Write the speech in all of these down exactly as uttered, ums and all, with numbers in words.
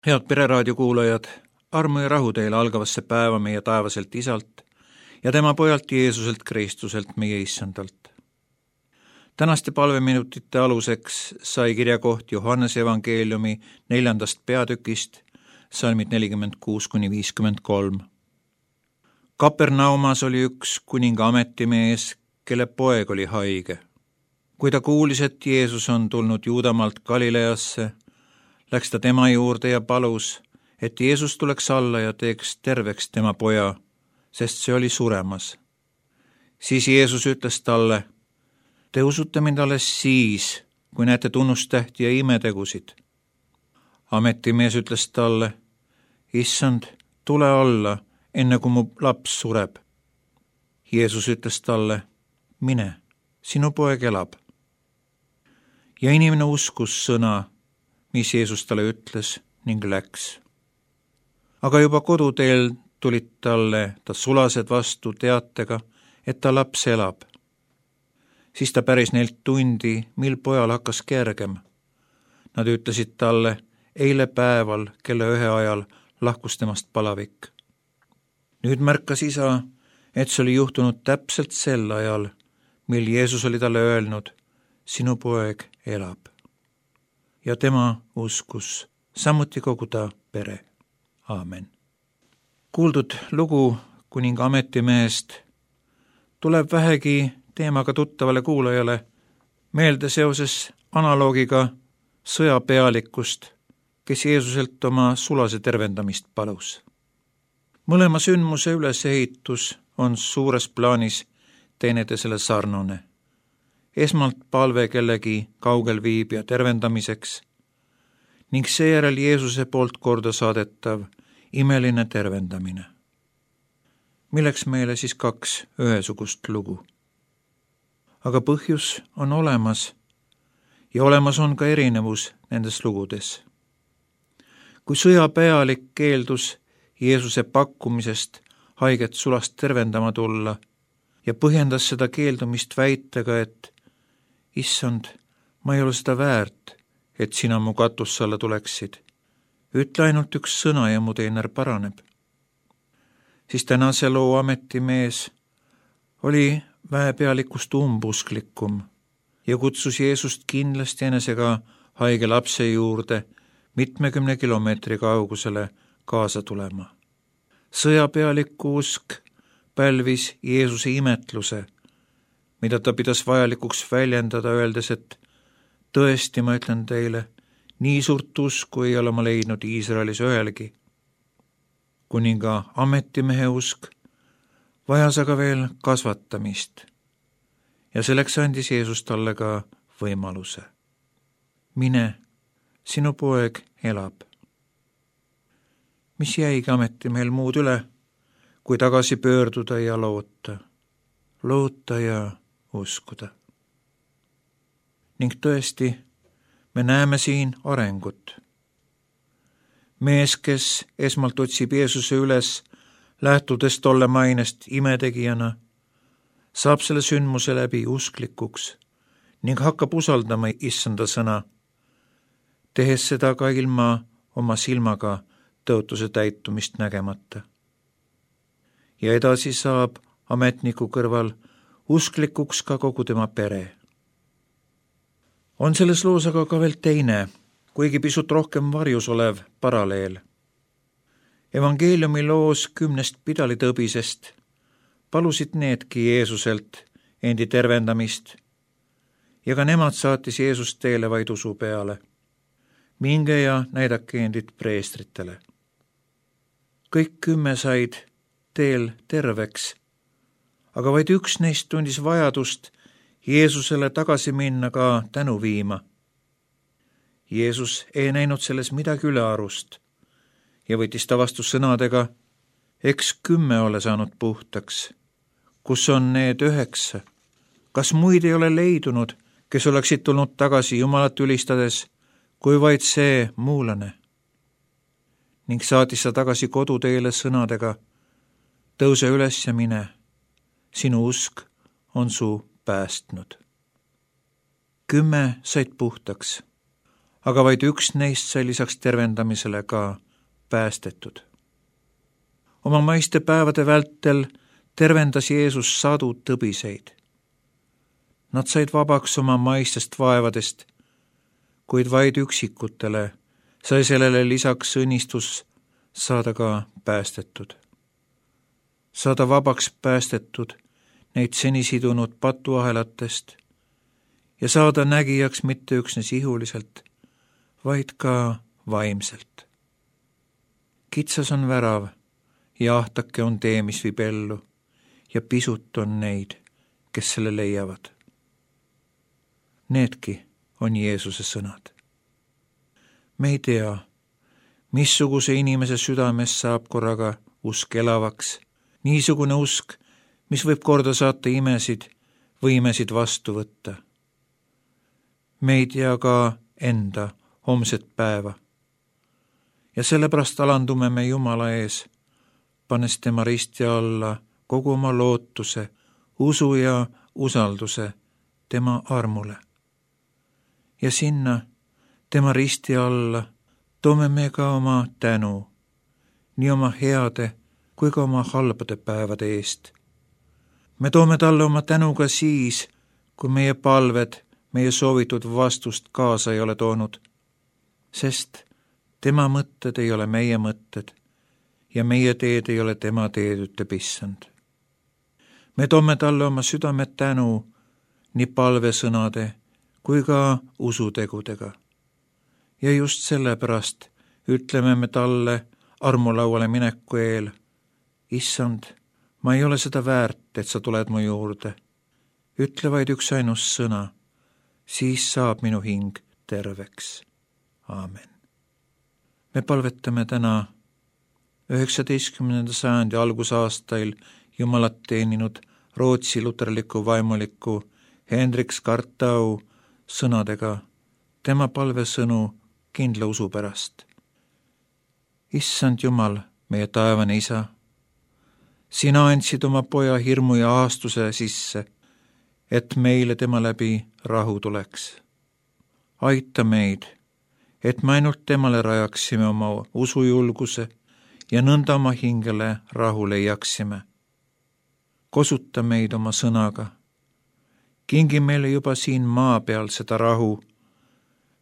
Head Pereraadio kuulajad, armu ja rahu teile algavasse päeva meie taevaselt Isalt ja tema pojalt Jeesuselt Kristuselt, meie Issandalt. Tänaste palveminutite aluseks sai kirjakoht Johannese evangeeliumi neljandast peatükist, salmid nelikümmend kuus kuni viiskümmend kolm. Kapernaumas oli üks kuninga ametimees, kelle poeg oli haige. Kui ta kuulis, et Jeesus on tulnud Juudamaalt Galileasse, läks ta tema juurde ja palus, et Jeesus tuleks alla ja teeks terveks tema poja, sest see oli suremas. Siis Jeesus ütles talle: te usute mind alles siis, kui näete tunnustähti ja imetegusid. Ametimees ütles talle: issand, tule alla, enne kui mu laps sureb. Jeesus ütles talle: mine, sinu poeg elab. Ja inimene uskus sõna, mis Jeesus talle ütles, ning läks. Aga juba koduteel tulid talle ta sulased vastu teatega, et ta laps elab. Siis ta päris neilt tundi, mil pojal hakkas kergem. Nad ütlesid talle: eile päeval kella ühe ajal lahkus temast palavik. Nüüd märkas isa, et see oli juhtunud täpselt sel ajal, mil Jeesus oli talle öelnud: sinu poeg elab. Ja tema uskus, samuti kogu ta pere. Aamen. Kuuldud lugu kuninga ametimehest tuleb vähegi teemaga tuttavale kuulajale meelde seoses analoogiga sõjapealikust, kes Jeesuselt oma sulase tervendamist palus. Mõlema sündmuse ülesehitus on suures plaanis teineteisele sarnane. Esmalt palve kellegi kaugel viibija tervendamiseks ning seejärel Jeesuse poolt korda saadetav imeline tervendamine. Milleks meile siis kaks ühesugust lugu? Aga põhjus on olemas ja olemas on ka erinevus nendes lugudes. Kui sõjapealik keeldus Jeesuse pakkumisest haiget sulast tervendama tulla ja põhjendas seda keeldumist väitega, et issand, ma ei ole seda väärt, et sina mu katusse alla tuleksid. Ütle ainult üks sõna ja mu teener paraneb. Siis tänase loo ametimees oli väepealikust umbusklikum ja kutsus Jeesust kindlasti enesega haige lapse juurde mitmekümne kilomeetri kaugusele kaasa tulema. Sõjapealiku usk pälvis Jeesuse imetluse, mida ta pidas vajalikuks väljendada, öeldes, et tõesti, ma ütlen teile, nii suurt usku ei ole ma leidnud Iisraelis ühelgi. Kuninga ametimehe usk vajas aga veel kasvatamist ja selleks andis Jeesus talle ka võimaluse. Mine, sinu poeg elab. Mis jäigi ametimehel muud üle, kui tagasi pöörduda ja loota, loota ja uskuda. Ning tõesti, me näeme siin arengut. Mees, kes esmalt otsib Jeesuse üles, lähtudes tolle mainest imetegijana, saab selle sündmuse läbi usklikuks ning hakkab usaldama issanda sõna, tehes seda ka ilma oma silmaga tõotuse täitumist nägemata. Ja edasi saab ametniku kõrval usklikuks ka kogu tema pere. On selles loos aga ka veel teine, kuigi pisut rohkem varjus olev paralleel. Evangeeliumi loos kümnest pidalitõbisest palusid needki Jeesuselt endi tervendamist ja ka nemad saatis Jeesus teele vaid usu peale. Minge ja näidake endid preestritele. Kõik kümme said teel terveks, aga vaid üks neist tundis vajadust Jeesusele tagasi minna ka tänu viima. Jeesus ei näinud selles midagi ülearust ja võttis ta vastu sõnadega: eks kümme ole saanud puhtaks. Kus on need üheksa? Kas muid ei ole leidunud, kes oleksid tulnud tagasi Jumalat ülistades, kui vaid see muulane? Ning saatis ta tagasi koduteele sõnadega: tõuse üles ja mine, sinu usk on su päästnud. Kümme said puhtaks, aga vaid üks neist sai lisaks tervendamisele ka päästetud. Oma maiste päevade vältel tervendas Jeesus sadu tõbiseid. Nad said vabaks oma maistest vaevadest, kuid vaid üksikutele sai sellele lisaks õnnistus saada ka päästetud. Saada vabaks päästetud neid seni sidunud patuahelatest ja saada nägijaks mitte üksnes ihuliselt, vaid ka vaimselt. Kitsas on värav ja ahtake on tee, mis viib ellu, ja pisut on neid, kes selle leiavad. Needki on Jeesuse sõnad. Me ei tea, missuguse inimese südames saab korraga usk elavaks, niisugune usk, mis võib korda saata imesid või imesid vastu võtta. Me ei tea ka enda homset päeva ja sellepärast alandume me Jumala ees, pannes tema risti alla kogu oma lootuse, usu ja usalduse tema armule. Ja sinna tema risti alla toome me ka oma tänu, nii oma heade kui ka oma halbade päevade eest. Me toome talle oma tänu ka siis, kui meie palved meie soovitud vastust kaasa ei ole toonud, sest tema mõtted ei ole meie mõtted ja meie teed ei ole tema teed, ütleb Issand. Me toome talle oma südame tänu nii palvesõnade kui ka usutegudega. Ja just sellepärast ütleme me talle armulauale mineku eel: Issand, ma ei ole seda väärt, et sa tuled mu juurde. Ütle vaid üks ainus sõna, siis saab minu hing terveks. Aamen. Me palvetame täna üheksateistkümnenda sajandi algusaastail Jumalat teeninud Rootsi luterliku vaimuliku Henrik Skartau sõnadega tema palvesõnu kindla usu pärast. Issand Jumal, meie taevane Isa, sina andsid oma poja hirmu ja aastuse sisse, et meile tema läbi rahu tuleks. Aita meid, et me ainult temale rajaksime oma usujulguse ja nõnda oma hingele rahu leiaksime. Kosuta meid oma sõnaga. Kingi meile juba siin maa peal seda rahu,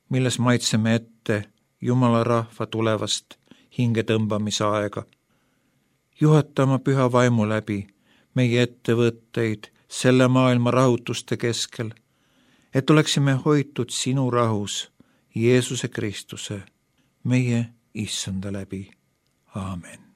milles maitseme ette Jumala rahva tulevast hinge tõmbamise aega. Juhata oma püha vaimu läbi meie ettevõtteid selle maailma rahutuste keskel, et oleksime hoitud sinu rahus Jeesuse Kristuse, meie Issanda läbi. Aamen.